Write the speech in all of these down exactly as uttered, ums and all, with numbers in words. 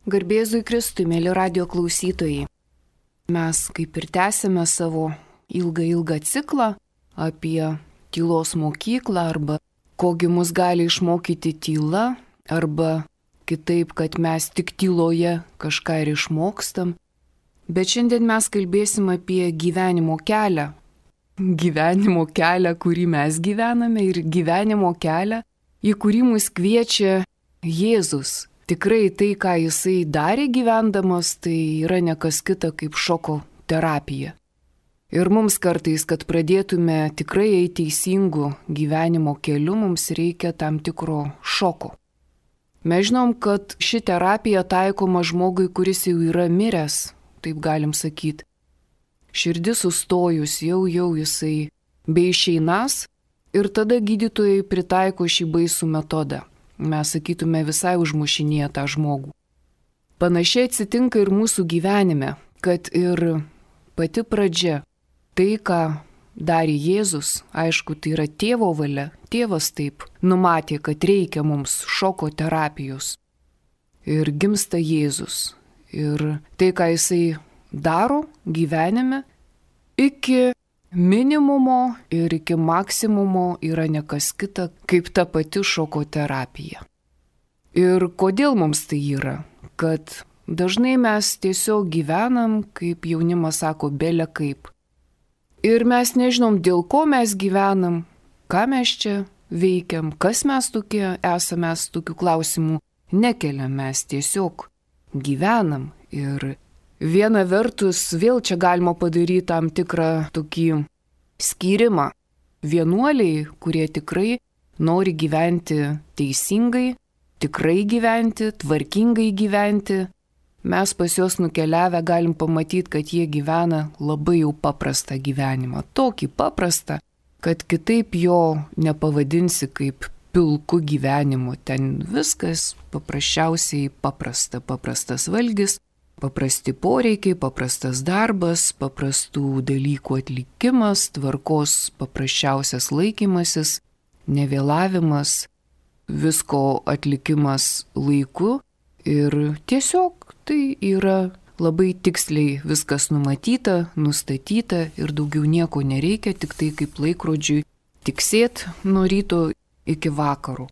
Garbėzui Kristui, mėly radio klausytojai. Mes kaip ir tęsime savo ilgą ilgą ciklą apie tylos mokyklą arba kogi mus gali išmokyti tyla arba kitaip, kad mes tik tyloje kažką ir išmokstam. Bet šiandien mes kalbėsim apie gyvenimo kelią. Gyvenimo kelią, kurį mes gyvename ir gyvenimo kelią, į kurį mus kviečia Jėzus. Tikrai tai, ką jisai darė gyvendamas, tai yra ne kas kita kaip šoko terapija. Ir mums kartais, kad pradėtume tikrai eiti teisingu gyvenimo keliu, mums reikia tam tikro šoko. Mes žinom, kad ši terapija taikoma žmogui, kuris jau yra miręs, taip galim sakyti. Širdis sustojus, jau jau jisai beišeinas ir tada gydytojai pritaiko šį baisų metodą. Mes sakytume visai užmušinėję tą žmogų. Panašiai atsitinka ir mūsų gyvenime, kad ir pati pradžia, tai ką darė Jėzus, aišku, tai yra tėvo valia, tėvas taip numatė, kad reikia mums šoko terapijos. Ir gimsta Jėzus. Ir tai, ką jisai daro gyvenime, iki minimumo ir iki maksimumo yra ne kas kita, kaip ta pati šoko terapija. Ir kodėl mums tai yra? Kad dažnai mes tiesiog gyvenam, kaip jaunimas sako, bele kaip. Ir mes nežinom, dėl ko mes gyvenam, ką mes čia veikiam, kas mes tokie esame, mes tokių klausimų nekeliam, mes tiesiog gyvenam. Ir viena vertus, vėl čia galima padaryti tam tikrą tokį skyrimą. Vienuoliai, kurie tikrai nori gyventi teisingai, tikrai gyventi, tvarkingai gyventi, mes pas juos nukeliavę galim pamatyti, kad jie gyvena labai jau paprastą gyvenimą. Tokį paprastą, kad kitaip jo nepavadinsi kaip pilku gyvenimu. Ten viskas paprasčiausiai paprasta, paprastas valgis, paprasti poreikiai, paprastas darbas, paprastų dalykų atlikimas, tvarkos paprasčiausias laikymasis, nevėlavimas, visko atlikimas laiku ir tiesiog tai yra labai tiksliai viskas numatyta, nustatyta ir daugiau nieko nereikia, tik tai kaip laikrodžiui tiksėt nuo ryto iki vakaro.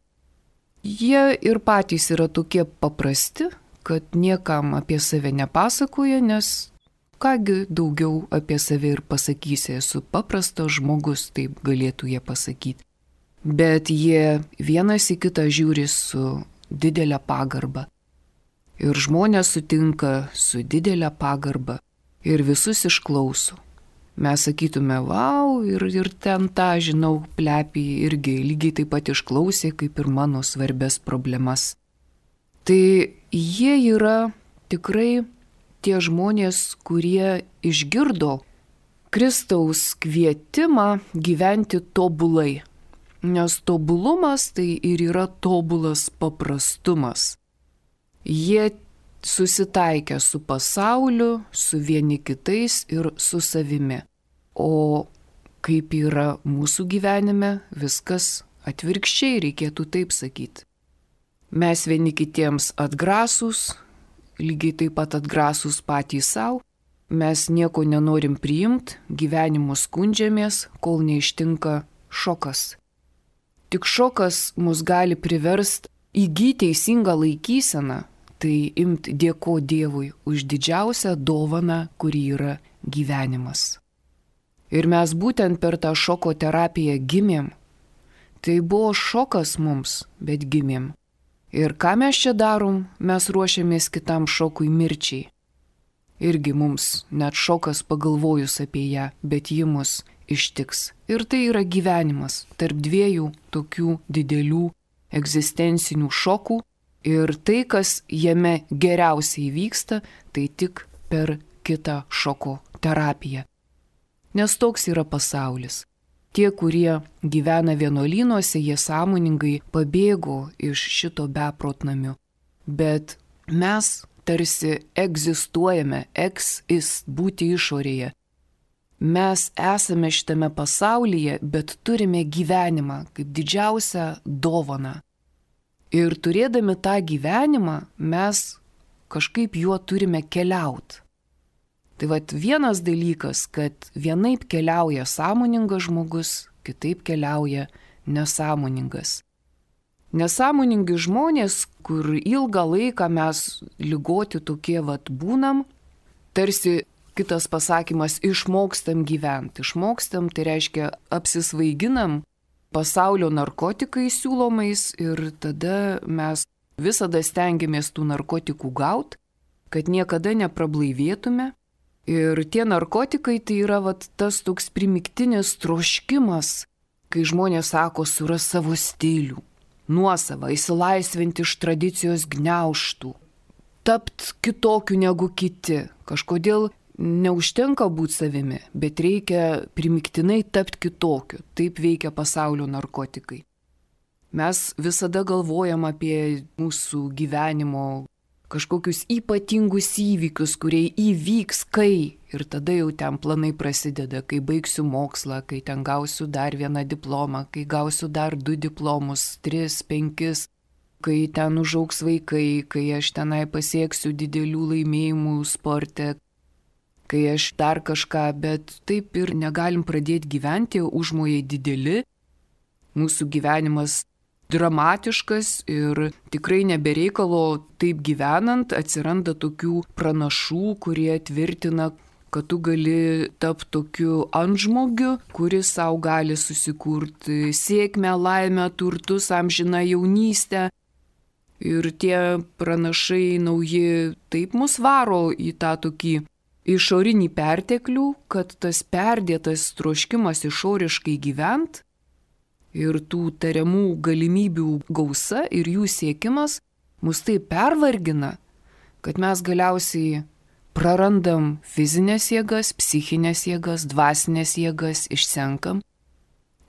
Jie ir patys yra tokie paprasti, kad niekam apie save nepasakoja, nes kągi daugiau apie save ir pasakysi, esu paprastas žmogus, taip galėtų jie pasakyti. Bet jie vienas į kitą žiūri su didelė pagarba. Ir žmonės sutinka su didelė pagarba ir visus išklauso. Mes sakytume, vau, ir, ir ten tą, žinau, plepį irgi lygiai taip pat išklausė, kaip ir mano svarbias problemas. Tai jie yra tikrai tie žmonės, kurie išgirdo Kristaus kvietimą gyventi tobulai. Nes tobulumas tai ir yra tobulas paprastumas. Jie susitaikę su pasauliu, su vieni kitais ir su savimi. O kaip yra mūsų gyvenime, viskas atvirkščiai, reikėtų taip sakyti. Mes vieni kitiems atgrasūs, lygiai taip pat atgrasūs patys savo, mes nieko nenorim priimti, gyvenimu skundžiamės, kol neištinka šokas. Tik šokas mus gali priversti įgyti teisingą laikyseną, tai imti dėko Dievui už didžiausią dovaną, kuri yra gyvenimas. Ir mes būtent per tą šoko terapiją gimėm. Tai buvo šokas mums, bet gimėm. Ir ką mes čia darom, mes ruošiamės kitam šokui mirčiai. Irgi mums net šokas pagalvojus apie ją, bet ji mus ištiks. Ir tai yra gyvenimas tarp dviejų tokių didelių egzistencinių šokų. Ir tai, kas jame geriausiai vyksta, tai tik per kitą šoko terapiją. Nes toks yra pasaulis. Tie, kurie gyvena vienuolynuose, jie sąmoningai pabėgo iš šito beprotnamių. Bet mes tarsi egzistuojame, exist, būti išorėje. Mes esame šitame pasaulyje, bet turime gyvenimą kaip didžiausią dovaną. Ir turėdami tą gyvenimą mes kažkaip juo turime keliauti. Tai vat vienas dalykas, kad vienaip keliauja sąmoningas žmogus, kitaip keliauja nesąmoningas. Nesąmoningi žmonės, kur ilgą laiką mes ligoti tokie vat būnam, tarsi kitas pasakymas, išmokstam gyventi. Išmokstam, tai reiškia apsisvaiginam pasaulio narkotikais siūlomais ir tada mes visada stengiamės tų narkotikų gauti, kad niekada neprablaivėtume. Ir tie narkotikai tai yra vat, tas toks primiktinis troškimas, kai žmonės sako suras savo stilių, nuosavą, įsilaisvinti iš tradicijos gniaužtų, tapt kitokiu negu kiti. Kažkodėl neužtenka būti savimi, bet reikia primiktinai tapti kitokiu. Taip veikia pasaulio narkotikai. Mes visada galvojam apie mūsų gyvenimo kažkokius ypatingus įvykius, kurie įvyks, kai. Ir tada jau ten planai prasideda, kai baigsiu mokslą, kai ten gausiu dar vieną diplomą, kai gausiu dar du diplomus, tris, penkis, kai ten užaugs vaikai, kai aš tenai pasieksiu didelių laimėjimų sporte, kai aš dar kažką, bet taip ir negalim pradėti gyventi, užmojai dideli, mūsų gyvenimas dramatiškas ir tikrai nebereikalo taip gyvenant atsiranda tokių pranašų, kurie tvirtina, kad tu gali tapti tokiu antžmogiu, kuris savo gali susikurti sėkmę, laimę, turtus, amžiną jaunystę. Ir tie pranašai nauji taip mus varo į tą tokį išorinį perteklių, kad tas perdėtas troškimas išoriškai gyvent ir tų tariamų galimybių gausa ir jų siekimas mus taip pervargina, kad mes galiausiai prarandam fizinės jėgas, psichinės jėgas, dvasinės jėgas, išsenkam.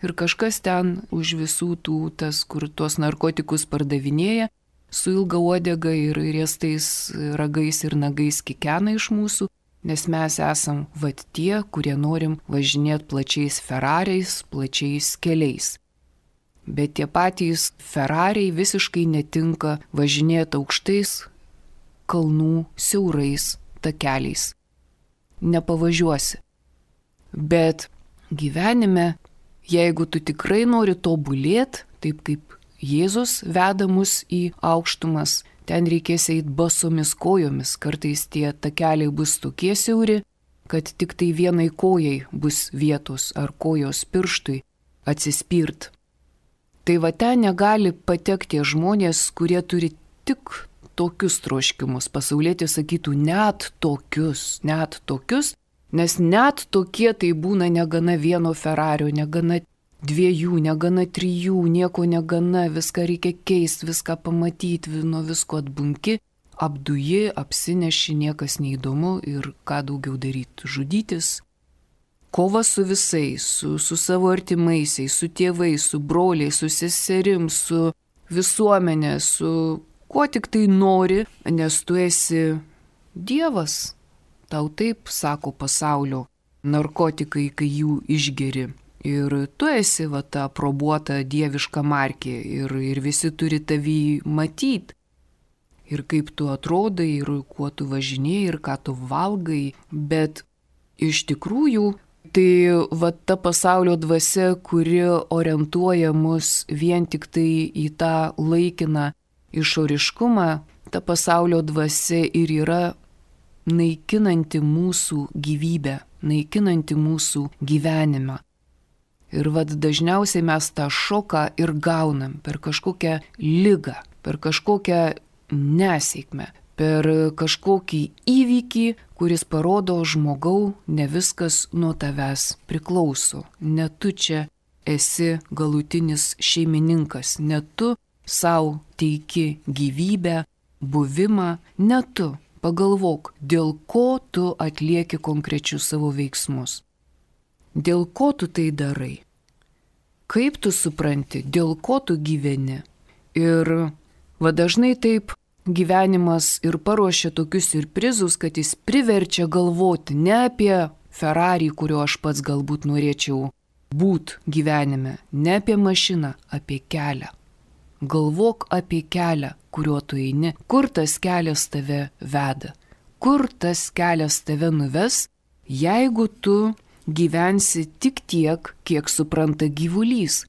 Ir kažkas ten už visų tų, tas, kur tuos narkotikus pardavinėja, su ilga uodega ir riestais ragais ir nagais kikena iš mūsų, nes mes esam vat tie, kurie norim važinėti plačiais Ferrariais, plačiais keliais. Bet tie patys Ferrariai visiškai netinka važinėti aukštais kalnų siaurais takeliais. Nepavažiuosi. Bet gyvenime, jeigu tu tikrai nori tobulėti, taip kaip Jėzus veda mus į aukštumas, ten reikės eiti basomis kojomis, kartais tie takeliai bus tokie siauri, kad tik tai vienai kojai bus vietos ar kojos pirštui atsispirt. Tai va ten negali patekti tie žmonės, kurie turi tik tokius troškimus. Pasaulietis sakytų net tokius, net tokius, nes net tokie tai būna negana vieno Ferrario, negana dviejų, negana trijų, nieko negana, viską reikia keisti, viską pamatyti, nuo visko atbunki, apduji, apsineši, niekas neįdomu ir ką daugiau daryti, žudytis. Kova su visais, su, su savo artimaisiais, su tėvais, su broliais, su seserim, su visuomenė, su kuo tik tai nori, nes tu esi Dievas. Tau taip sako pasaulio narkotikai, kai jų išgeri. Ir tu esi va ta aprobuota dieviška markė ir, ir visi turi tavį matyti. Ir kaip tu atrodai, ir kuo tu važinėjai, ir ką tu valgai. Bet iš tikrųjų, tai va ta pasaulio dvasia, kuri orientuoja mus vien tik tai į tą laikiną išoriškumą, ta pasaulio dvasia ir yra naikinanti mūsų gyvybę, naikinanti mūsų gyvenimą. Ir vad dažniausiai mes tą šoką ir gaunam per kažkokią ligą, per kažkokią nesėkmę, per kažkokį įvykį, kuris parodo žmogau, ne viskas nuo tavęs priklauso. Ne tu čia esi galutinis šeimininkas, ne tu savo teiki gyvybę, buvimą, ne tu. Pagalvok, dėl ko tu atlieki konkrečius savo veiksmus. Dėl ko tu tai darai? Kaip tu supranti, dėl ko tu gyveni? Ir va dažnai taip gyvenimas ir paruošia tokius siurprizus, kad jis priverčia galvoti ne apie Ferrari, kurio aš pats galbūt norėčiau būt gyvenime, ne apie mašiną, apie kelią. Galvok apie kelią, kuriuo tu eini, kur tas kelias tave veda, kur tas kelias tave nuves, jeigu tu gyvensi tik tiek, kiek supranta gyvulys,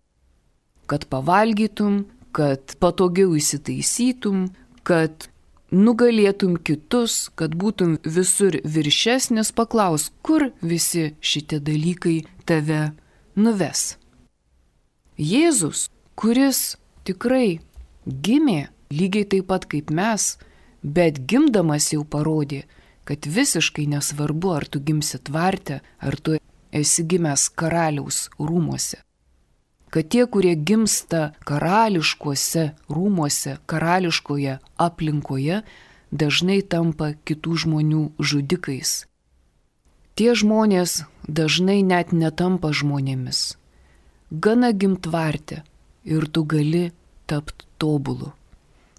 kad pavalgytum, kad patogiau įsitaisytum, kad nugalėtum kitus, kad būtum visur viršesnis, paklaus, kur visi šitie dalykai tave nuves. Jėzus, kuris tikrai gimė lygiai taip pat kaip mes, bet gimdamas jau parodė, kad visiškai nesvarbu, ar tu gimsi tvarte, ar tu esi gimęs karaliaus rūmuose. Kad tie, kurie gimsta karališkuose rūmuose, karališkoje aplinkoje, dažnai tampa kitų žmonių žudikais. Tie žmonės dažnai net netampa žmonėmis. Gana gimtvarte ir tu gali tapti tobulu.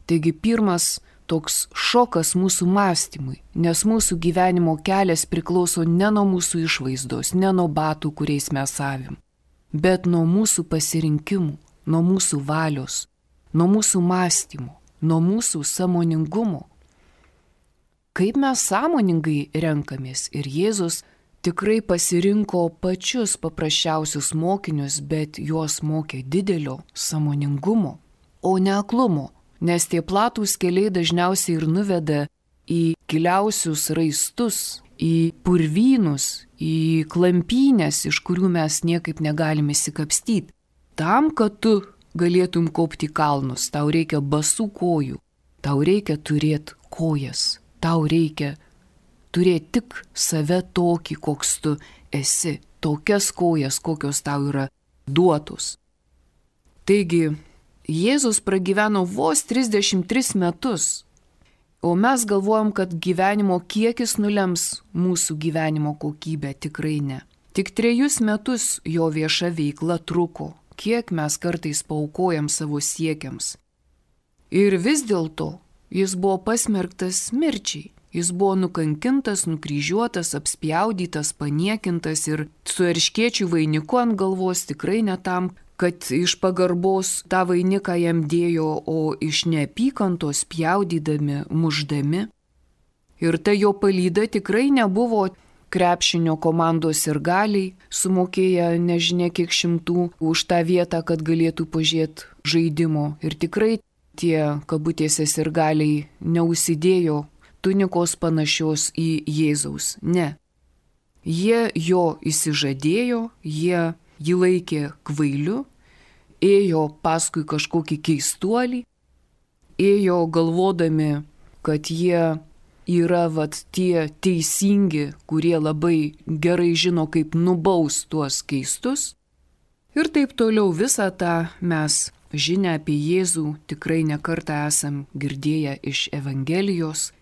Taigi pirmas toks šokas mūsų mąstymui, nes mūsų gyvenimo kelias priklauso ne nuo mūsų išvaizdos, ne nuo batų, kuriais mes avim, bet nuo mūsų pasirinkimų, nuo mūsų valios, nuo mūsų mąstymų, nuo mūsų sąmoningumo. Kaip mes sąmoningai renkamės ir Jėzus tikrai pasirinko pačius paprasčiausius mokinius, bet juos mokė didelio sąmoningumo, o ne aklumo, nes tie platūs keliai dažniausiai ir nuveda į giliausius raistus, į purvynus, į klampynės, iš kurių mes niekaip negalime įsikapstyti. Tam, kad tu galėtum kopti kalnus, tau reikia basų kojų, tau reikia turėti kojas, tau reikia turėti tik save tokį, koks tu esi, tokias kojas, kokios tau yra duotos. Taigi, Jėzus pragyveno vos trisdešimt tris metus, o mes galvojam, kad gyvenimo kiekis nulems mūsų gyvenimo kokybę, tikrai ne. Tik trejus metus jo vieša veikla truko, kiek mes kartais paaukojam savo siekiams. Ir vis dėlto jis buvo pasmerktas mirčiai. Jis buvo nukankintas, nukryžiuotas, apspjaudytas, paniekintas ir su erškėčių vainiku ant galvos, tikrai ne tam, kad iš pagarbos tą vainiką jam dėjo, o iš neapykantos pjaudydami, muždami. Ir ta jo palyda tikrai nebuvo krepšinio komandos sirgaliai, sumokėję nežinia kiek šimtų už tą vietą, kad galėtų pažiūrėti žaidimo. Ir tikrai tie kabutėse sirgaliai neužsidėjo tunikos panašios į Jėzaus. Ne. Jie jo įsižadėjo, jie jį laikė kvailiu, ėjo paskui kažkokį keistuolį, ėjo galvodami, kad jie yra vat tie teisingi, kurie labai gerai žino, kaip nubaus tuos keistus. Ir taip toliau visą tą mes žinią apie Jėzų tikrai nekartą esam girdėję iš Evangelijos.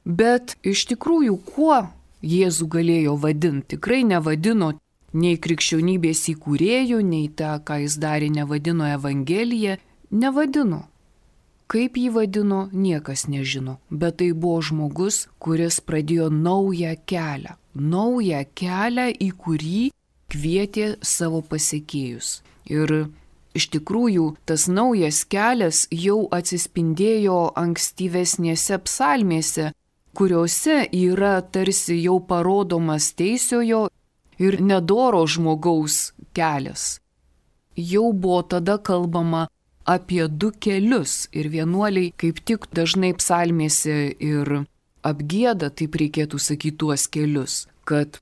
Bet iš tikrųjų, kuo Jėzų galėjo vadinti? Tikrai nevadino nei krikščionybės įkūrėjų, nei tą, ką jis darė, nevadino Evangelija. Nevadino. Kaip jį vadino, niekas nežino. Bet tai buvo žmogus, kuris pradėjo naują kelią. Naują kelią, į kurį kvietė savo pasekėjus. Ir iš tikrųjų, tas naujas kelias jau atsispindėjo ankstyvesnėse psalmėse, kuriuose yra tarsi jau parodomas teisiojo ir nedoro žmogaus kelias. Jau buvo tada kalbama apie du kelius ir vienuoliai kaip tik dažnai psalmėse ir apgieda, taip reikėtų sakyti, tuos kelius, kad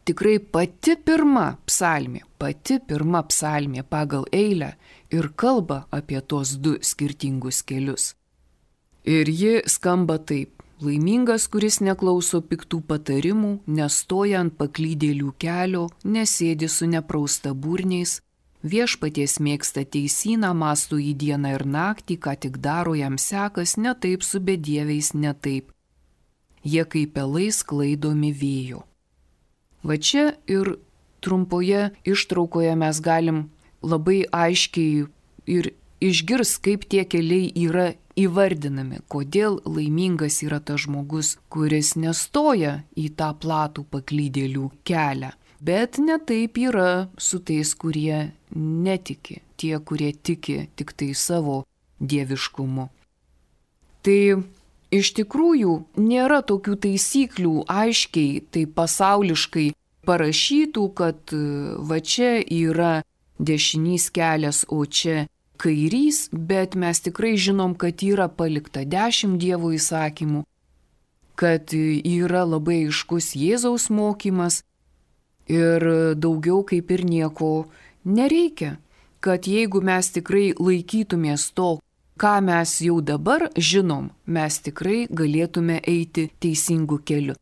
tikrai pati pirma psalmė, pati pirma psalmė pagal eilę ir kalba apie tos du skirtingus kelius. Ir ji skamba taip. Laimingas, kuris neklauso piktų patarimų, nestoja ant paklydėlių kelio, nesėdi su neprausta burniais, viešpaties mėgsta teisyną, mąsto į dieną ir naktį, ką tik daro jam sekas, ne taip su bedieviais, ne taip. Jie kaip pelai sklaidomi vėjo. Va čia ir trumpoje ištraukoje mes galim labai aiškiai ir išgirs, kaip tie keliai yra įvardinami, kodėl laimingas yra tas žmogus, kuris nestoja į tą platų paklydėlių kelią. Bet ne taip yra su tais, kurie netiki, tie, kurie tiki tik tai savo dieviškumu. Tai iš tikrųjų nėra tokių taisyklių aiškiai, tai pasauliškai parašytų, kad va čia yra dešinys kelias, o čia kairys, bet mes tikrai žinom, kad yra palikta dešimt Dievo įsakymų, kad yra labai aiškus Jėzaus mokymas ir daugiau kaip ir nieko nereikia, kad jeigu mes tikrai laikytumės to, ką mes jau dabar žinom, mes tikrai galėtume eiti teisingu keliu.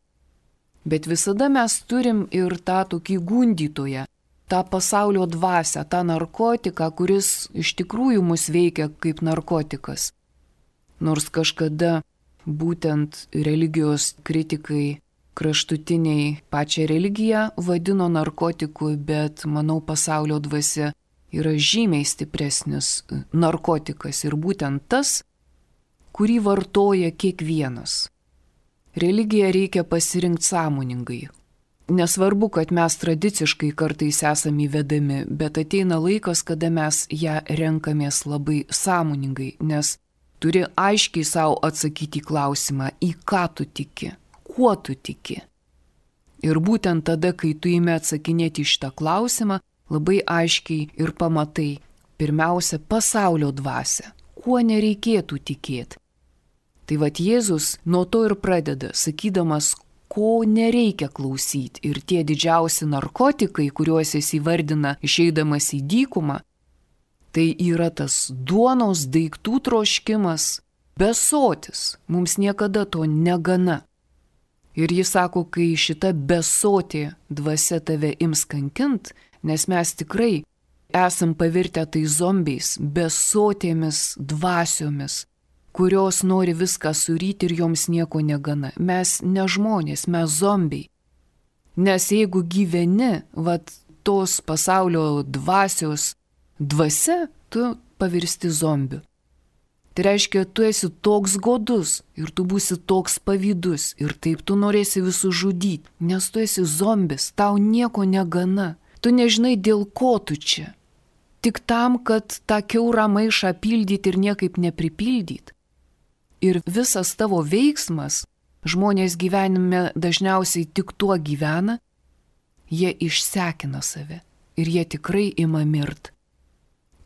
Bet visada mes turim ir tą tokį gundytoją, tą pasaulio dvasią, tą narkotiką, kuris iš tikrųjų mus veikia kaip narkotikas. Nors kažkada būtent religijos kritikai kraštutiniai pačią religiją vadino narkotiku, bet manau pasaulio dvasia yra žymiai stipresnis narkotikas ir būtent tas, kurį vartoja kiekvienas. Religiją reikia pasirinkti sąmoningai. Nesvarbu, kad mes tradiciškai kartais esame įvedami, bet ateina laikas, kada mes ją renkamės labai sąmoningai, nes turi aiškiai savo atsakyti į klausimą, į ką tu tiki, kuo tu tiki. Ir būtent tada, kai tu imi atsakinėti į šitą klausimą, labai aiškiai ir pamatai, pirmiausia, pasaulio dvasią, kuo nereikėtų tikėti. Tai vat Jėzus nuo to ir pradeda, sakydamas, ko nereikia klausyti. Ir tie didžiausi narkotikai, kuriuos jis įvardina išeidamas į dykumą, tai yra tas duonos daiktų troškimas, besotis. Mums niekada to negana. Ir jis sako, kai šita besotė dvasia tave ims kankint, nes mes tikrai esam pavirtę tai zombiais, besotėmis dvasiomis, kurios nori viską suryti ir joms nieko negana. Mes ne žmonės, mes zombiai. Nes jeigu gyveni, vat tos pasaulio dvasios dvasia, tu pavirsti zombiu. Tai reiškia, tu esi toks godus ir tu būsi toks pavydus ir taip tu norėsi visus žudyti, nes tu esi zombis, tau nieko negana. Tu nežinai, dėl ko tu čia. Tik tam, kad tą kiaurą maišą pildyti ir niekaip nepripildyti. Ir visas tavo veiksmas, žmonės gyvenime dažniausiai tik tuo gyvena, jie išsekina save ir jie tikrai ima mirt.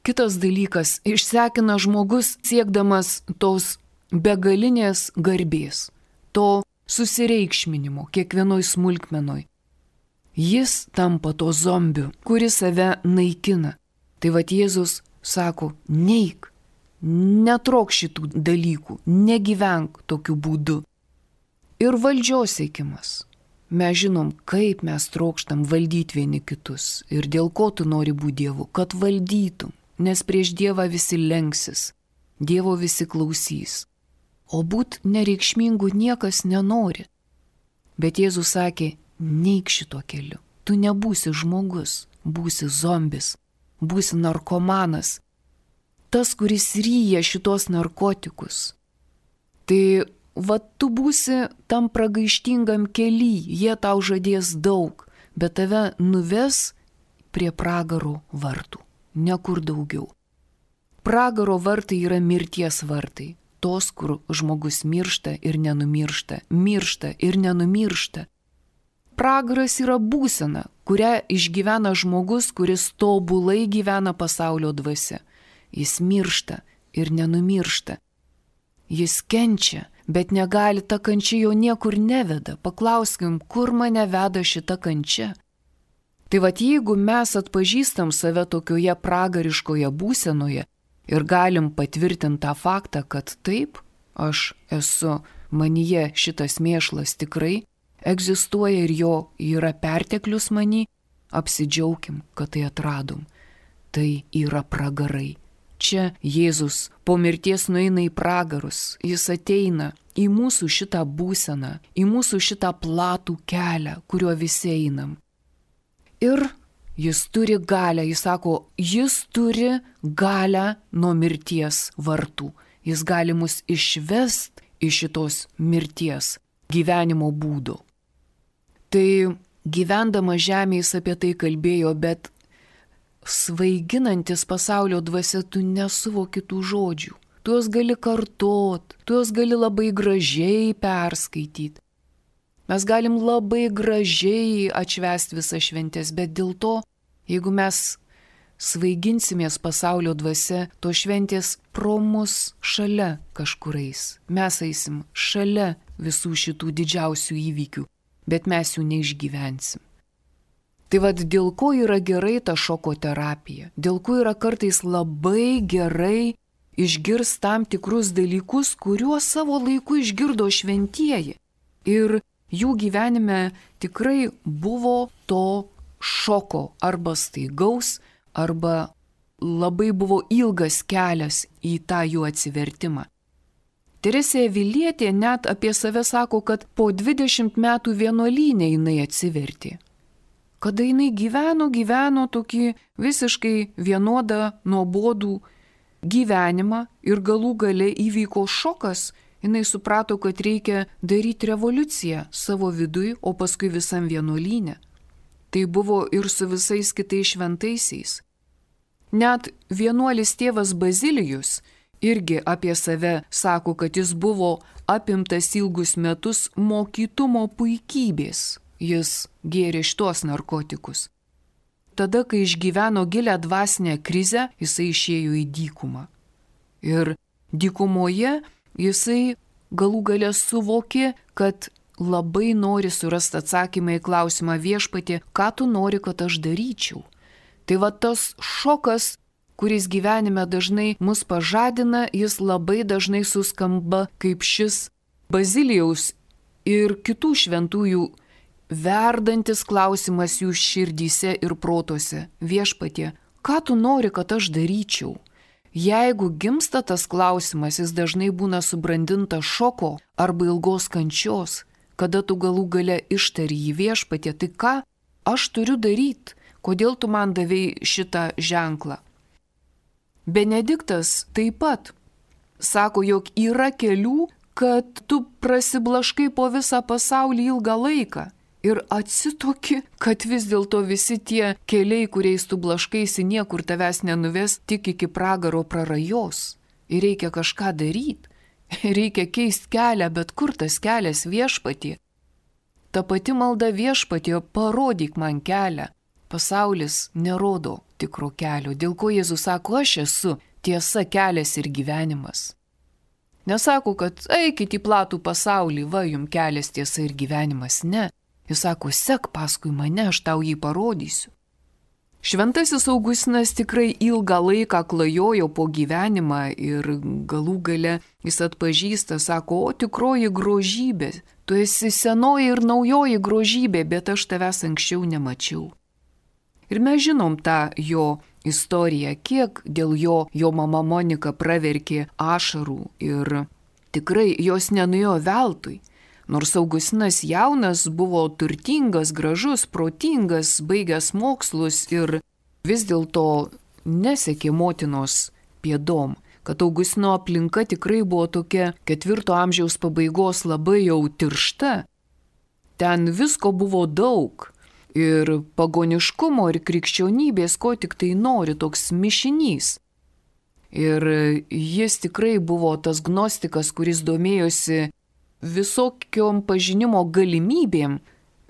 Kitas dalykas, išsekina žmogus siekdamas tos begalinės garbės, to susireikšminimo kiekvienoj smulkmenoj. Jis tampa to zombiu, kuris save naikina. Tai vat Jėzus sako, neik. Netrok šitų dalykų, negyvenk tokiu būdu. Ir valdžios siekimas. Mes žinom, kaip mes trokštam valdyti vieni kitus ir dėl ko tu nori būti Dievu, kad valdytum, nes prieš Dievą visi lenksis, Dievo visi klausys. O būt nereikšmingu niekas nenori. Bet Jėzus sakė, neik šito keliu, tu nebūsi žmogus, būsi zombis, būsi narkomanas. Tas, kuris ryja šitos narkotikus. Tai va tu būsi tam pragaištingam kely, jie tau žadės daug, bet tave nuves prie pragaro vartų, nekur daugiau. Pragaro vartai yra mirties vartai, tos, kur žmogus miršta ir nenumiršta, miršta ir nenumiršta. Pragaras yra būsena, kurią išgyvena žmogus, kuris tobulai gyvena pasaulio dvasia. Jis miršta ir nenumiršta. Jis kenčia, bet negali, ta kančia jo niekur neveda. Paklauskim, kur mane veda šita kančia. Tai vat jeigu mes atpažįstam save tokioje pragariškoje būsenoje ir galim patvirtinti tą faktą, kad taip, aš esu, manyje šitas mėšlas tikrai egzistuoja ir jo yra perteklius many, apsidžiaugim, kad tai atradom. Tai yra pragarai. Čia Jėzus po mirties nueina į pragarus, jis ateina į mūsų šitą būseną, į mūsų šitą platų kelią, kuriuo visi einam. Ir jis turi galią, jis sako, jis turi galią nuo mirties vartų. Jis gali mus išvest iš šitos mirties gyvenimo būdo. Tai gyvendama žemėje jis apie tai kalbėjo, bet svaiginantis pasaulio dvasia, tu nesuvoki tų žodžių. tu juos gali kartot, tu juos gali labai gražiai perskaityti. Mes galim labai gražiai atšvęsti visas šventės, bet dėl to, jeigu mes svaiginsimės pasaulio dvasia, to šventės pro mus šalia kažkurais. Mes eisim šalia visų šitų didžiausių įvykių, bet mes jų neišgyvensim. Tai vad dėl ko yra gerai ta šoko terapija, dėl ko yra kartais labai gerai išgirs tam tikrus dalykus, kuriuos savo laiku išgirdo šventieji. Ir jų gyvenime tikrai buvo to šoko arba staigaus, arba labai buvo ilgas kelias į tą jų atsivertimą. Teresė Avilietė net apie save sako, kad po dvidešimt metų vienuolyne jinai atsivertė. Kada jinai gyveno, gyveno tokį visiškai vienodą nuobodų gyvenimą ir galų gale įvyko šokas, jinai suprato, kad reikia daryti revoliuciją savo viduj, o paskui visam vienuolyne. Tai buvo ir su visais kitais šventaisiais. Net vienuolis tėvas Bazilijus irgi apie save sako, kad jis buvo apimtas ilgus metus mokytumo puikybės. Jis gėrė šitos narkotikus. Tada, kai išgyveno gilę dvasinę krizę, jisai išėjo į dykumą. Ir dykumoje jisai galų gale suvokė, kad labai nori surasti atsakymą į klausimą viešpatie, ką tu nori, kad aš daryčiau. Tai va tas šokas, kuris gyvenime dažnai mus pažadina, jis labai dažnai suskamba kaip šis Bazilijaus ir kitų šventųjų verdantis klausimas jų širdyse ir protuose. Viešpatie, ką tu nori, kad aš daryčiau? Jeigu gimsta tas klausimas, jis dažnai būna subrandintas šoko arba ilgos kančios, kada tu galų gale ištari jį viešpatie, tai ką aš turiu daryti? Kodėl tu man davei šitą ženklą? Benediktas taip pat sako, jog yra kelių, kad tu prasiblaškai po visą pasaulį ilgą laiką ir atsitoki, kad vis dėlto visi tie keliai, kuriais tu blaškaisi, niekur tavęs nenuves, tik iki pragaro prarajos. Ir reikia kažką daryti. Reikia keisti kelią, bet kur tas kelias viešpatie? Ta pati malda viešpatie, parodyk man kelią. Pasaulis nerodo tikro kelio, dėl ko Jėzus sako, aš esu tiesa, kelias ir gyvenimas. Nesako, kad eikit į platų pasaulį, va jum kelias, tiesa ir gyvenimas, ne. Jis sako, sek paskui mane, aš tau jį parodysiu. Šventasis Augustinas tikrai ilgą laiką klajojo po gyvenimą ir galų gale jis atpažįsta, sako, o tikroji grožybė, tu esi senoji ir naujoji grožybė, bet aš tavęs anksčiau nemačiau. Ir mes žinom tą jo istoriją, kiek dėl jo jo mama Monika praverkė ašarų ir tikrai jos nenuėjo veltui. Nors Augustinas jaunas, buvo turtingas, gražus, protingas, baigęs mokslus ir vis dėlto nesekė motinos pėdom, kad Augustino aplinka tikrai buvo tokia ketvirto amžiaus pabaigos labai jau tiršta. Ten visko buvo daug. Ir pagoniškumo, ir krikščionybės, ko tik tai nori, toks mišinys. Ir jis tikrai buvo tas gnostikas, kuris domėjosi visokiom pažinimo galimybėm,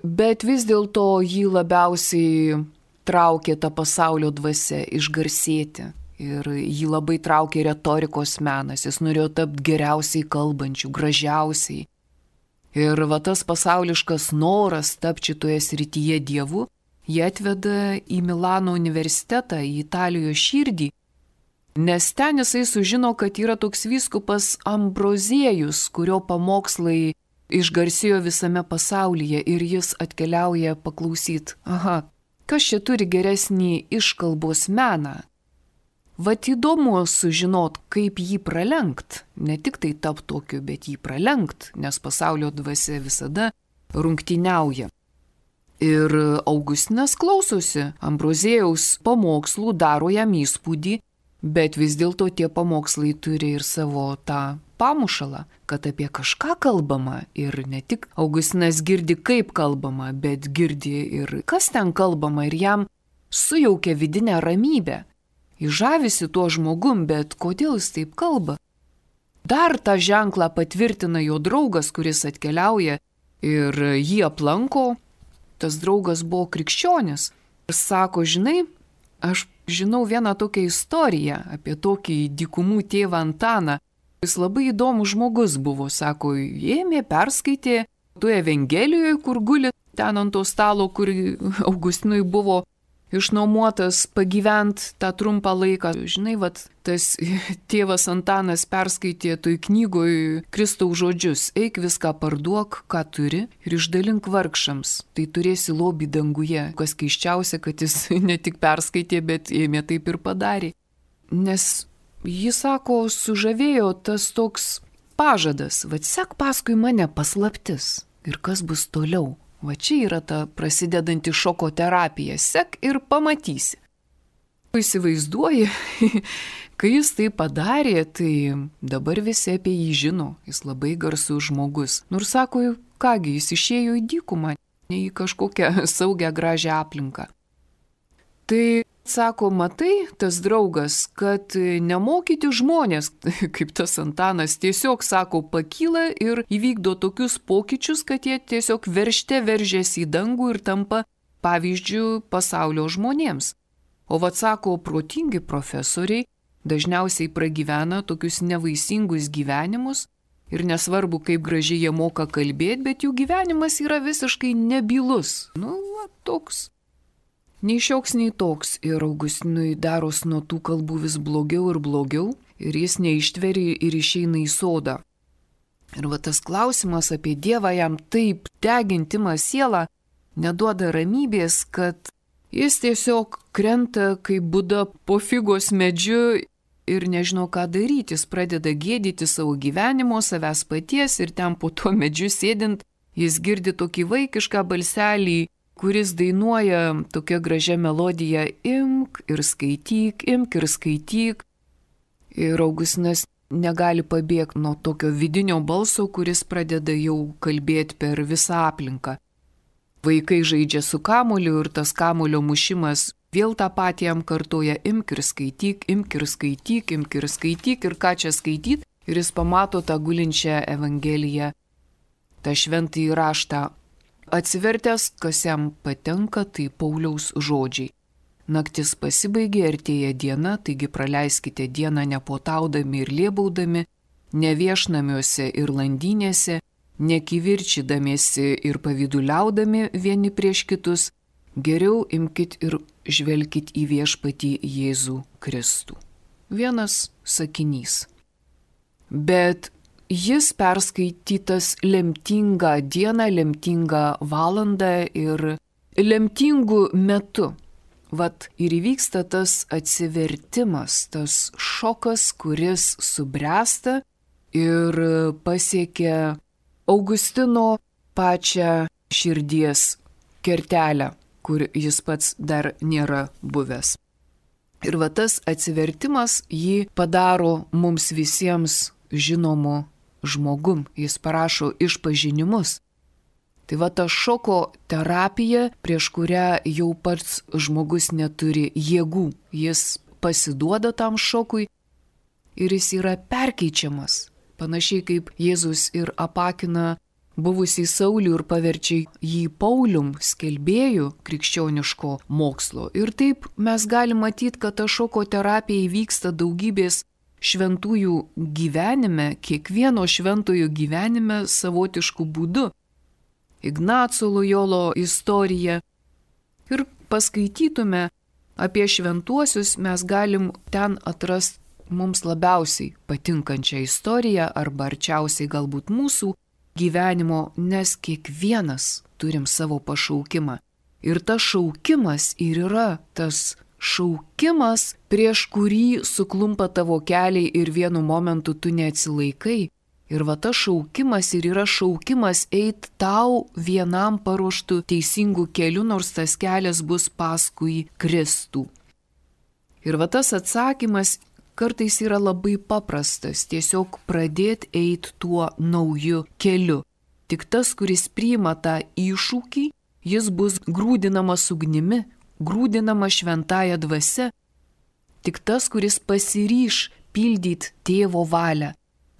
bet vis dėlto jį labiausiai traukė ta pasaulio dvasia išgarsėti. Ir jį labai traukė retorikos menas, jis norėjo tapti geriausiai kalbančių, gražiausiai. Ir va tas pasauliškas noras tapti šitoje srityje dievu, jį atveda į Milano universitetą, į Italijos širdį, nes ten jisai sužino, kad yra toks vyskupas Ambroziejus, kurio pamokslai išgarsėjo visame pasaulyje ir jis atkeliauja paklausyti, aha, kas čia turi geresnį iškalbos meną? Vat įdomu sužinot, kaip jį pralenkt, ne tik tai tap tokiu, bet jį pralenkt, nes pasaulio dvasia visada rungtyniauja. Ir Augustinas klausosi, Ambroziejaus pamokslų daro jam įspūdį, bet vis dėlto tie pamokslai turi ir savo tą pamušalą, kad apie kažką kalbama ir ne tik Augustinas girdi, kaip kalbama, bet girdi ir kas ten kalbama ir jam sujaukia vidinę ramybę. Įžavisi tuo žmogum, bet kodėl jis taip kalba? dar tą ženklą patvirtina jo draugas, kuris atkeliauja ir jį aplanko. Tas draugas buvo krikščionis. Ir sako, žinai, aš žinau vieną tokią istoriją apie tokį dykumų tėvą Antaną. Jis labai įdomus žmogus buvo, sako, ėmė, perskaitė toje Evangelijoje, kur guli ten ant to stalo, kur Augustinui buvo išnuomotas pagyvent tą trumpą laiką. Žinai, vat, tas tėvas Antanas perskaitė toj knygoj Kristaus žodžius, eik viską parduok, ką turi ir išdalink vargšams, tai turėsi lobį danguje. Kas keiščiausia, kad jis ne tik perskaitė, bet ėmė taip ir padarė. Nes jis sako, sužavėjo tas toks pažadas, vat sek paskui mane paslaptis ir kas bus toliau. Va čia yra ta prasidedanti šoko terapija. Sek ir pamatysi. Įsivaizduoji, kai jis tai padarė, tai dabar visi apie jį žino. Jis labai garsus žmogus. Nors sako, kągi, jis išėjo į dykumą, ne į kažkokią saugią gražią aplinką. Tai sako, matai, tas draugas, kad nemokyti žmonės, kaip tas Antanas, tiesiog, sako, pakyla ir įvykdo tokius pokyčius, kad jie tiesiog veržte veržiasi į dangų ir tampa pavyzdžių pasaulio žmonėms. O vat, sako, protingi profesoriai dažniausiai pragyvena tokius nevaisingus gyvenimus ir nesvarbu, kaip gražiai jie moka kalbėti, bet jų gyvenimas yra visiškai nebylus. Nu, va, toks. Nei šioks, nei toks. Ir Augustinui daros nuo tų kalbų vis blogiau ir blogiau ir jis neištveri ir išeina į sodą. Ir va tas klausimas apie Dievą jam taip degintimą sielą neduoda ramybės, kad jis tiesiog krenta kaip Buda po figos medžiu ir nežino, ką daryti. Jis pradeda gėdyti savo gyvenimo, savęs paties ir ten po tuo medžiu sėdint jis girdi tokį vaikišką balselį, kuris dainuoja tokia gražia melodija imk ir skaityk, imk ir skaityk. Ir Augustinas negali pabėgti nuo tokio vidinio balso, kuris pradeda jau kalbėti per visą aplinką. Vaikai žaidžia su kamuoliu ir tas kamulio mušimas vėl tą patį jam kartoja imk ir skaityk, imk ir skaityk, imk ir skaityk ir ką čia skaityti. Ir jis pamato tą gulinčią Evangeliją, tą šventąjį raštą. Atsivertęs, kas jam patenka, tai Pauliaus žodžiai. Naktis pasibaigė, artėja diena, taigi praleiskite dieną nepotaudami ir lėbaudami, ne viešnamiuose ir landynėse, nekivirčydamiesi ir pavyduliaudami vieni prieš kitus, geriau imkit ir žvelkit į viešpatį Jėzų Kristų. Vienas sakinys. Bet jis perskaitytas lemtingą dieną, lemtingą valandą ir lemtingų metu. Vat ir įvyksta tas atsivertimas, tas šokas, kuris subręsta ir pasiekia Augustino pačią širdies kertelę, kur jis pats dar nėra buvęs. Ir va tas atsivertimas jį padaro mums visiems žinomu žmogum, jis parašo išpažinimus. Tai va ta šoko terapija, prieš kurią jau pats žmogus neturi jėgų, jis pasiduoda tam šokui ir jis yra perkeičiamas. Panašiai kaip Jėzus ir apakina buvusį Saulių ir paverčia jį Paulium, skelbėjų krikščioniško mokslo. Ir taip mes galim matyti, kad ta šoko terapija įvyksta daugybės šventųjų gyvenime, kiekvieno šventojo gyvenime savotišku būdu. Ignaco Lojolo istorija. Ir paskaitytume apie šventuosius, mes galim ten atrasti mums labiausiai patinkančią istoriją arba arčiausiai galbūt mūsų gyvenimo, nes kiekvienas turim savo pašaukimą. Ir tas šaukimas ir yra tas šaukimas, prieš kurį suklumpa tavo keliai ir vienu momentu tu neatsilaikai. Ir va tas šaukimas ir yra šaukimas eit tau vienam paruoštų teisingų kelių, nors tas kelias bus paskui Kristų. Ir va tas atsakymas kartais yra labai paprastas, tiesiog pradėti eiti tuo nauju keliu. Tik tas, kuris priima tą iššūkį, jis bus grūdinamas ugnimi, grūdinamas šventąja dvasia. Tik tas, kuris pasiryš pildyti tėvo valią,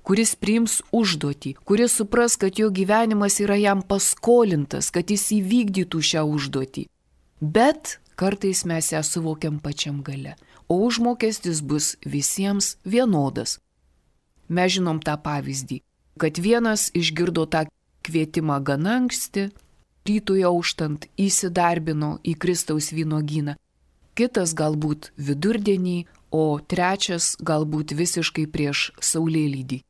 kuris priims užduotį, kuris supras, kad jo gyvenimas yra jam paskolintas, kad jis įvykdytų šią užduotį. Bet kartais mes ją suvokiam pačiam gale, o užmokestis bus visiems vienodas. Mes žinom tą pavyzdį, kad vienas išgirdo tą kvietimą gana anksti, rytui auštant įsidarbino į Kristaus vynuogyną, kitas galbūt vidurdienį, o trečias galbūt visiškai prieš saulėlydį.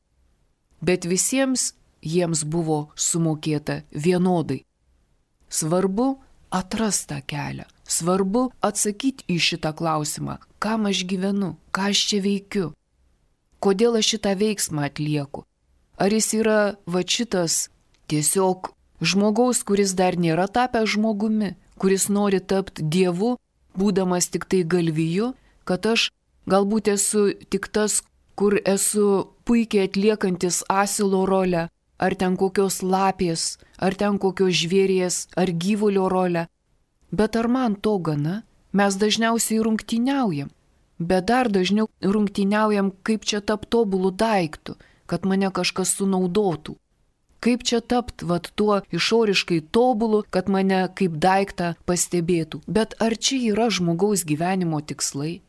Bet visiems jiems buvo sumokėta vienodai. Svarbu atrasti tą kelią, svarbu atsakyti į šitą klausimą, kam aš gyvenu, ką aš čia veikiu, kodėl aš šitą veiksmą atlieku. Ar jis yra va šitas tiesiog žmogaus, kuris dar nėra tapęs žmogumi, kuris nori tapti Dievu, būdamas tik tai galviju, kad aš galbūt esu tik tas, kur esu puikiai atliekantis asilo rolę, ar ten kokios lapės, ar ten kokios žvėries, ar gyvulio rolę. Bet ar man to gana? Mes dažniausiai rungtyniaujam, bet dar dažniau rungtyniaujam, kaip čia tapti tobulų daiktų, kad mane kažkas sunaudotų. Kaip čia tapti vat tuo išoriškai tobulu, kad mane kaip daiktą pastebėtų. Bet ar čia yra žmogaus gyvenimo tikslai?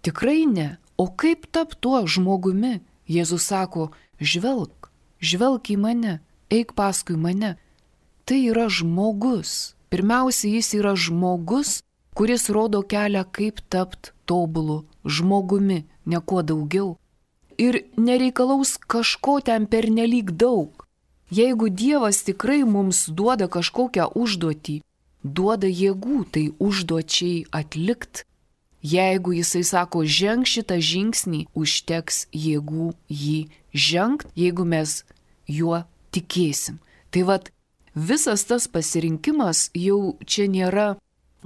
Tikrai ne. O kaip tapti tuo žmogumi? Jėzus sako, žvelk, žvelk į mane, eik paskui mane. Tai yra žmogus. Pirmiausia, jis yra žmogus, kuris rodo kelią, kaip tapti tobulu žmogumi, ne kuo daugiau. Ir nereikalaus kažko ten pernelyg daug. Jeigu Dievas tikrai mums duoda kažkokią užduotį, duoda jėgų tai užduočiai atlikt. Jeigu jisai sako, ženk šitą žingsnį, užteks jėgų jį žengt, jeigu mes juo tikėsim. Tai vat visas tas pasirinkimas jau čia nėra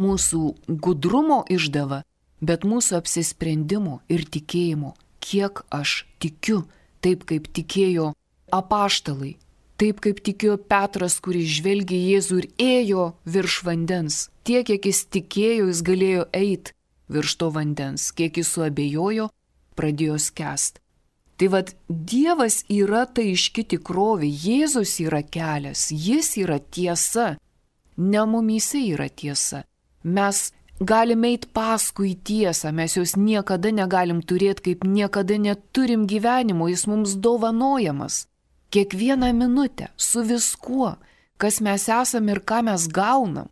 mūsų gudrumo išdava, bet mūsų apsisprendimo ir tikėjimo, kiek aš tikiu, taip kaip tikėjo apaštalai. Taip kaip tikėjo Petras, kuris žvelgė Jėzų ir ėjo virš vandens. Tiek, kiek jis tikėjo, jis galėjo eiti virš to vandens. Kiek jis suabejojo, pradėjo skęsti. Tai vad, Dievas yra ta aiški tikrovė, Jėzus yra kelias, jis yra tiesa. Ne mumyse yra tiesa. Mes galime eiti paskui tiesą, mes jos niekada negalim turėti, kaip niekada neturim gyvenimo, jis mums dovanojamas. Kiekvieną minutę, su viskuo, kas mes esame ir ką mes gaunam.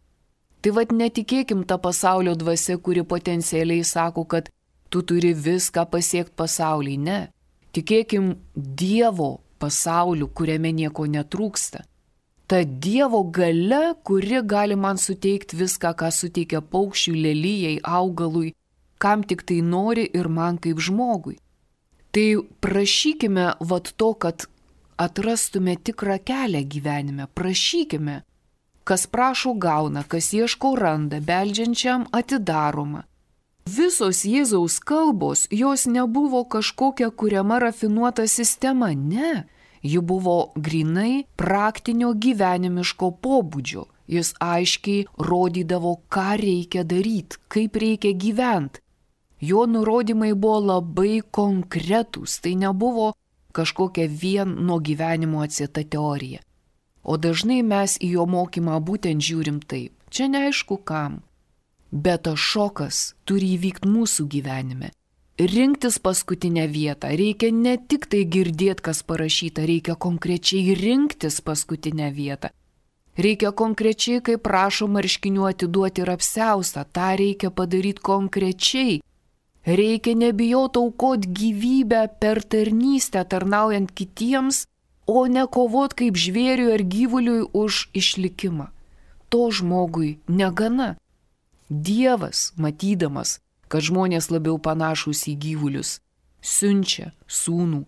Tai vad netikėkim tą pasaulio dvasią, kuri potencialiai sako, kad tu turi viską pasiekti pasaulyje. Ne. Tikėkim Dievo pasauliu, kuriame nieko netrūksta. Ta Dievo galia, kuri gali man suteikti viską, ką suteikia paukščiui, lelijai, augalui, kam tik tai nori ir man kaip žmogui. Tai prašykime vat to, kad atrastume tikrą kelią gyvenime, prašykime. Kas prašo gauna, kas ieško randa, beldžiančiam atidaroma. Visos Jėzaus kalbos, jos nebuvo kažkokia kuriama rafinuota sistema, ne. Ji buvo grinai praktinio gyvenimiško pobūdžio. Jis aiškiai rodydavo, ką reikia daryti, kaip reikia gyventi. Jo nurodymai buvo labai konkretūs, tai nebuvo kažkokia vien nuo gyvenimo atsieta teorija. O dažnai mes į jo mokymą būtent žiūrim taip. Čia neaišku kam. Bet tas šokas turi įvykti mūsų gyvenime. Rinktis paskutinę vietą. Reikia ne tik tai girdėti, kas parašyta, reikia konkrečiai rinktis paskutinę vietą. Reikia konkrečiai, kaip prašo marškinių atiduoti ir apsiaustą. Ta reikia padaryti konkrečiai. Reikia nebijoti aukoti gyvybę per tarnystę, tarnaujant kitiems, o ne kovoti kaip žvėriui ar gyvuliui už išlikimą. To žmogui negana. Dievas, matydamas, kad žmonės labiau panašūs į gyvulius, siunčia sūnų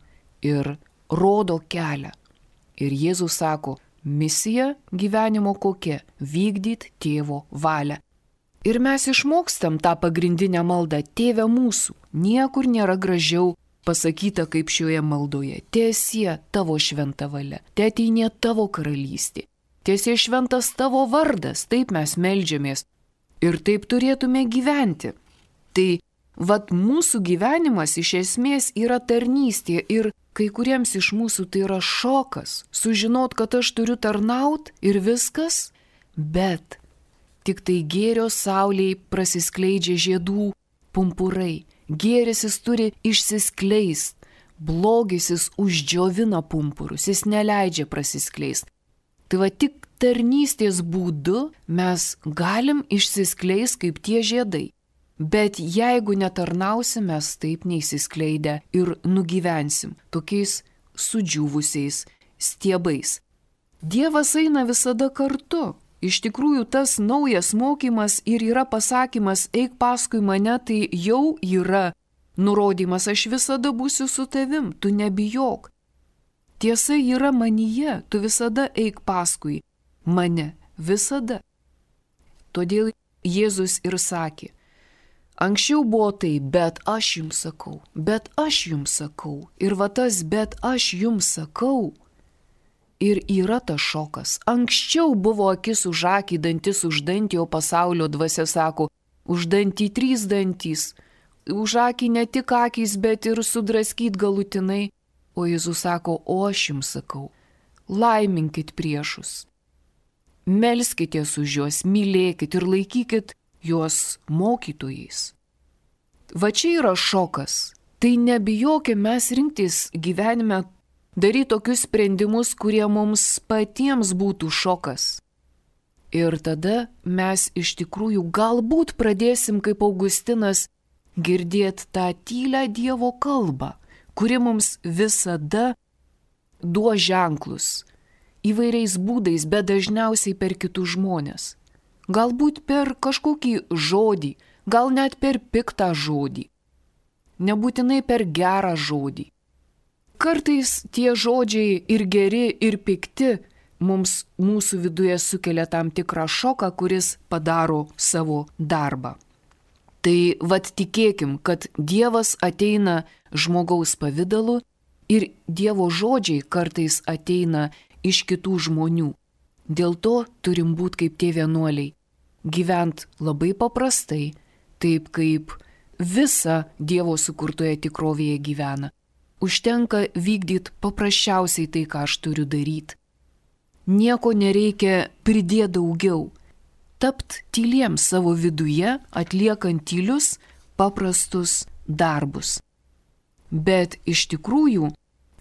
ir rodo kelią. Ir Jėzus sako, misija gyvenimo kokia – vykdyti tėvo valią. Ir mes išmokstam tą pagrindinę maldą, Tėve mūsų, niekur nėra gražiau pasakyta kaip šioje maldoje. Tiesie tavo šventa valia, teateinė tavo karalystė, tiesie šventas tavo vardas, taip mes meldžiamės ir taip turėtume gyventi. Tai vat mūsų gyvenimas iš esmės yra tarnystė ir kai kuriems iš mūsų tai yra šokas, sužinot, kad aš turiu tarnaut ir viskas, bet tik tai gėrio saulėj prasiskleidžia žiedų pumpurai, gėris jis turi išsiskleist, blogis jis uždžiovina pumpurus, jis neleidžia prasiskleist. Tai va tik tarnystės būdu mes galim išsiskleist kaip tie žiedai. Bet jeigu netarnausim, mes taip neįsiskleidę ir nugyvensim tokiais sudžiūvusiais stiebais. Dievas eina visada kartu. Iš tikrųjų, tas naujas mokymas ir yra pasakymas, eik paskui mane, tai jau yra nurodymas, aš visada būsiu su tavim, tu nebijok. Tiesa yra manyje, tu visada eik paskui mane, visada. Todėl Jėzus ir sakė, anksčiau buvo tai, bet aš jums sakau, bet aš jums sakau. Ir va tas, bet aš jums sakau. Ir yra tas šokas. Anksčiau buvo akis už akį, dantis už dantį, o pasaulio dvasia sako, už dantį trys dantys. Už akį ne tik akys, bet ir sudraskyt galutinai. O Jėzus sako, o aš jums sakau, laiminkit priešus. Melskitės už juos, mylėkit ir laikykit juos mokytojais. Va čia yra šokas. Tai nebijokime mes rinktis gyvenime, daryti tokius sprendimus, kurie mums patiems būtų šokas. Ir tada mes iš tikrųjų galbūt pradėsim, kaip Augustinas, girdėti tą tylę Dievo kalbą, kuri mums visada duos ženklus įvairiais būdais, bet dažniausiai per kitus žmonės. Galbūt per kažkokį žodį, gal net per piktą žodį, nebūtinai per gerą žodį. Kartais tie žodžiai ir geri, ir pikti mums mūsų viduje sukelia tam tikrą šoką, kuris padaro savo darbą. Tai vat tikėkim, kad Dievas ateina žmogaus pavidalu ir Dievo žodžiai kartais ateina iš kitų žmonių. Dėl to turim būti kaip tie vienuoliai, gyvent labai paprastai, taip kaip visa Dievo sukurtoje tikrovėje gyvena. Užtenka vykdyti paprasčiausiai tai, ką aš turiu daryti. Nieko nereikia pridėti daugiau. Tapt tyliems savo viduje, atliekant tylius, paprastus darbus. Bet iš tikrųjų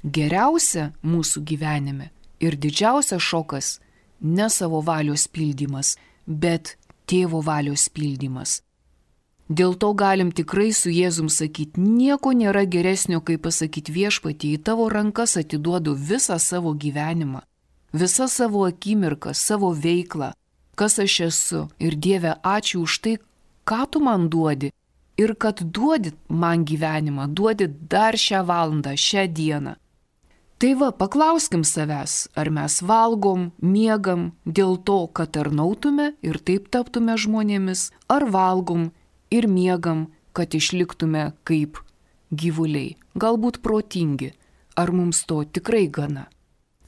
geriausia mūsų gyvenime ir didžiausias šokas ne savo valios pildymas, bet tėvo valios pildymas. Dėl to galim tikrai su Jėzum sakyti, nieko nėra geresnio, kaip pasakyti viešpatį, į tavo rankas atiduodu visą savo gyvenimą, visą savo akimirką, savo veiklą, kas aš esu. Ir Dieve, ačiū už tai, ką tu man duodi ir kad duodi man gyvenimą, duodi dar šią valandą, šią dieną. Tai va, paklauskim savęs, ar mes valgom, miegam dėl to, kad tarnautume ir taip taptume žmonėmis, ar valgom ir miegam, kad išliktume kaip gyvuliai, galbūt protingi, ar mums to tikrai gana.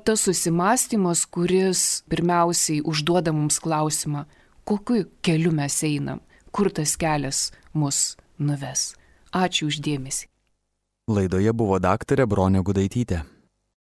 Tas susimąstymas, kuris pirmiausiai užduoda mums klausimą, kokiu keliu mes einam, kur tas kelias mus nuves. Ačiū už dėmesį. Laidoje buvo daktarė Bronė Gudaitytė.